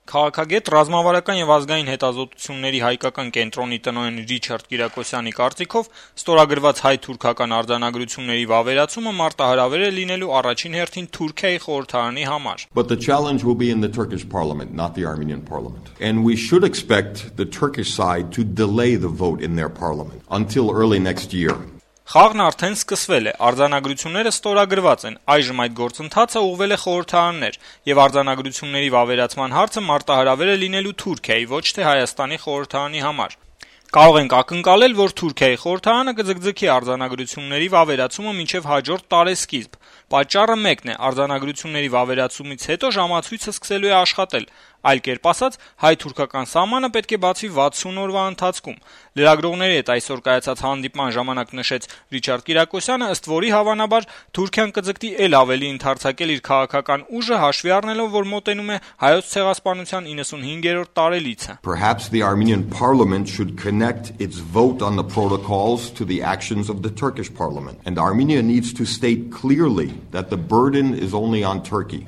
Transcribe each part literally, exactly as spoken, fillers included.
Քաղաքագետ, ռազմավարական եւ ազգային հետազոտությունների հայկական կենտրոնի տնօրեն Ռիչարդ Կիրակոսյանի կարծիքով ստորագրված հայ-թուրքական արձանագրությունների վավերացումը մարտահրավեր է լինելու առաջին հերթին Թուրքիայի խորհրդարանի համար. But the challenge will be in the Turkish parliament, not the Armenian parliament. And we should expect the Turkish side to delay the vote in their parliament until early next year. Խաղն արդեն սկսվել է, արձանագրությունները ստորագրված են, այժմ այդ գործընթացը ուղղվել է խորհրդարաններ, եւ արձանագրությունների վավերացման հարցը մարտահրավեր է լինելու Թուրքիայի, ոչ թե Հայաստանի խորհրդարանի համար. Կարող ենք ակնկալել, որ Թուրքիայի խորհրդարանը կձգձգի արձանագրությունների վավերացումը մինչև հաջորդ տարեսկիզբ. Պատճառը մեկն է, արձանագրությունների վավերացումից հետո ժամացույցը սկսելու է աշխատել, այլ կերպ ասած, հայ-թուրքական սահմանը պետք է բացվի վաթսուն օրվա ընթացքում. Լրագրողների հետ այսօր կայացած հանդիպման ժամանակ նշեց Ռիչարդ Կիրակոսյանը, ըստ որի հավանաբար Թուրքիան կձգտի էլ ավելի ընդարձակել իր քաղաքական ուժը, հաշվի առնելով, որ մոտենում է հայոց ցեղասպանության իննսունհինգերորդ տարելիցը. Perhaps the Armenian parliament should connect its vote on the protocols to the actions of the Turkish parliament, and Armenia needs to state clearly that the burden is only on Turkey.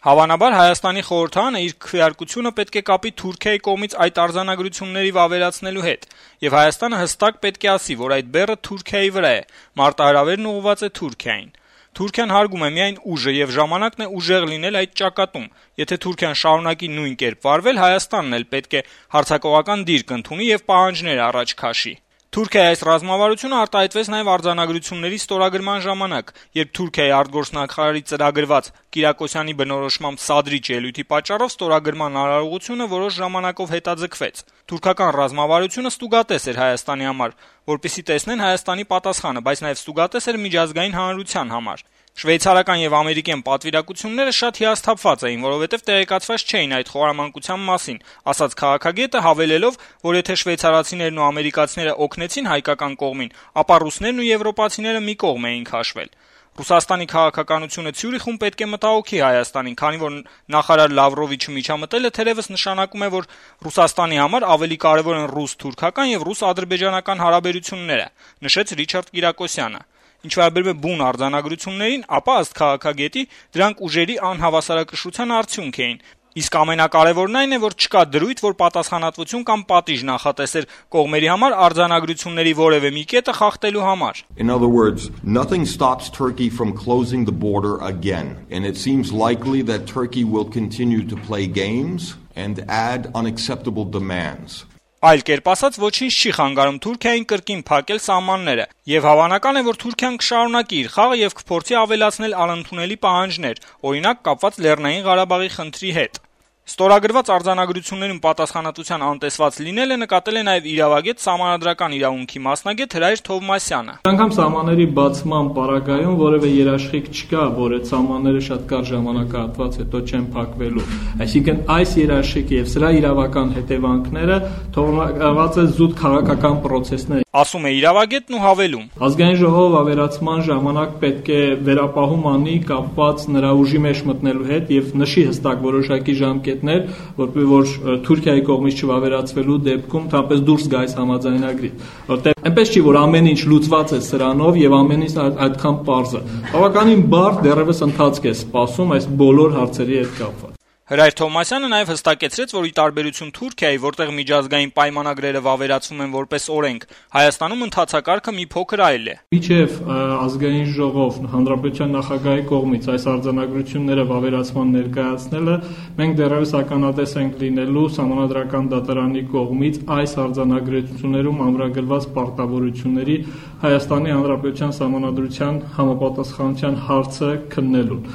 Հավանաբար Հայաստանի խորհրդարանը իր քվեարկությունը պետք է կապի Թուրքիայի կողմից այդ արձանագրությունների վավերացնելու հետ, եւ Հայաստանը հստակ պետք է ասի, որ այդ բեռը Թուրքիայի վրա է, մարտահրավերն ուղղված է Թուրքիային. Թուրքիան հարգում է միայն ուժը եւ ժամանակն է ուժեղ լինել այդ ճակատում. Եթե Թուրքիան շարունակի նույն կերպ վարվել, Հայաստանն էլ պետք է հարձակողական դիրք ընդունի եւ պահանջներ առաջ քաշի. Թուրքիայի այս ռազմավարությունը արտահայտվեց նաև արձանագրությունների ստորագրման ժամանակ, երբ Թուրքիայի արտգործնախարարի ծրագրված Կիրակոսյանի բնորոշմամբ սադրիչ ելույթի պատճառով ստորագրման արարողությունը որոշ ժամանակով հետաձգվեց. Թուրքական ռազմավարությունը ստուգատես էր Հայաստանի համար, որպեսզի տեսնեն Հայաստանի պատասխանը, բայց նաև ստուգատես էր միջազգային հանրության համար. Շվեյցարական եւ ամերիկյան պատվիրակությունները շատ հիասթափված էին, որովհետեւ տեղեկացված չէին այդ խորամանկության մասին, ասաց քաղաքագետը, հավելելով, որ եթե շվեյցարացիներն ու ամերիկացիները օգնեցին հայկական կողմին, ապա ռուսներն ու եվրոպացիները մի կողմ էին քաշվել. Ռուսաստանի քաղաքականությունը Ցյուրիխում պետք է մտահոգի Հայաստանին, քանի որ նախարար Լավրովիչի միջամտելը թերևս նշանակում է, որ Ռուսաստանի համար ավելի կարևոր են ռուս-թուրքական եւ ռուս-ադրբեջանական հարաբերությունները, նշեց Ռիչարդ Կիրակոսյանը. Ինչ վերաբերում է բուն արձանագրություններին, ապա ըստ քաղաքագետի դրանք ուժերի անհավասարակշռության արդյունք էին. իսկ ամենակարևորն այն է, որ չկա դրույթ, որ պատասխանատվություն կամ պատիժ նախատեսեր կողմերի համար արձանագրությունների որևէ մի կետը խախտելու համար. In other words, nothing stops Turkey from closing the border again, and it seems likely that Turkey will continue to play games and add unacceptable demands. Այլ կերպ ասած, ոչինչ չի խանգարում Թուրքիային կրկին փակել սահմանները, եւ հավանական է, որ Թուրքիան կշարունակի իր խաղը եւ կփորձի ավելացնել անընդունելի պահանջներ, օրինակ կապված Լեռնային Ղարաբաղի խնդրի հետ. Ստորագրված արձանագրություններում պատասխանատվության անտեսված լինելը նկատել է նաև իրավագետ սահմանադրական իրավունքի մասնագետ Հրայր Թովմասյանը. Անգամ սահմանների բացման պարագայում որևէ երաշխիք չկա, որ այդ սահմանները շատ կարճ ժամանակահատված հետո չեն փակվելու։ Այսինքն այս երաշխիքը եւ սրա իրավական հետևանքները թողնված է զուտ քաղաքական process-ներ, ասում է իրավագետն ու հավելում. Ազգային ժողովը ավերացման ժամանակ պետք է վերապահում անի կապված նրա ուժի մեջ մտնելու հետ եւ նշի հստակ որոշակի ժամկետներ, որպեսզի որ Թուրքիայի կողմից չվավերացվելու դեպքում թափես դուրս գա այս համաձայնագրից, որտեղ այնպես չի որ ամեն ինչ լուծված է սրանով եւ ամեն ինչ այդքան պարզ է։ Բավականին բարդ դեռևս ընթացք է սպասում այս բոլոր հարցերի հետ կապված։ Հրայր Թովմասյանը նաև հստակեցրեց, որ ի տարբերություն Թուրքիայի, որտեղ միջազգային պայմանագրերը վավերացվում են որպես օրենք, Հայաստանում ընթացակարգը մի փոքր այլ է։ Մինչև ազգային ժողով հանրապետության նախագահի կողմից այս արձանագրությունները վավերացման ներկայացնելը, մենք դեռևս ականատես ենք լինելու Սահմանադրական դատարանի կողմից այս արձանագրություններում ամրագրված պարտավորությունների Հայաստանի Հանրապետության Սահմանադրության համապատասխանության հարցը քննելուն։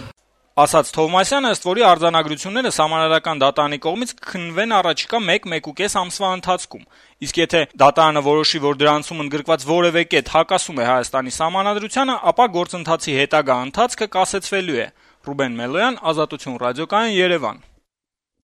Ասաց Թովմասյանը, ըստ որի արձանագրությունները Սահմանադրական դատարանի կողմից կքննվեն առաջիկա մեկ-մեկուկես ամսվա ընթացքում։ Իսկ եթե դատարանը որոշի, որ դրանցում ընդգրկված որևէ կետ հակասում է Հայաստանի Սահմանադրությանը, ապա գործընթացի հետագա ընթացքը կասեցվելու է։ Ռուբեն Մելոյան, Ազատություն ռադիոկայան, Երևան։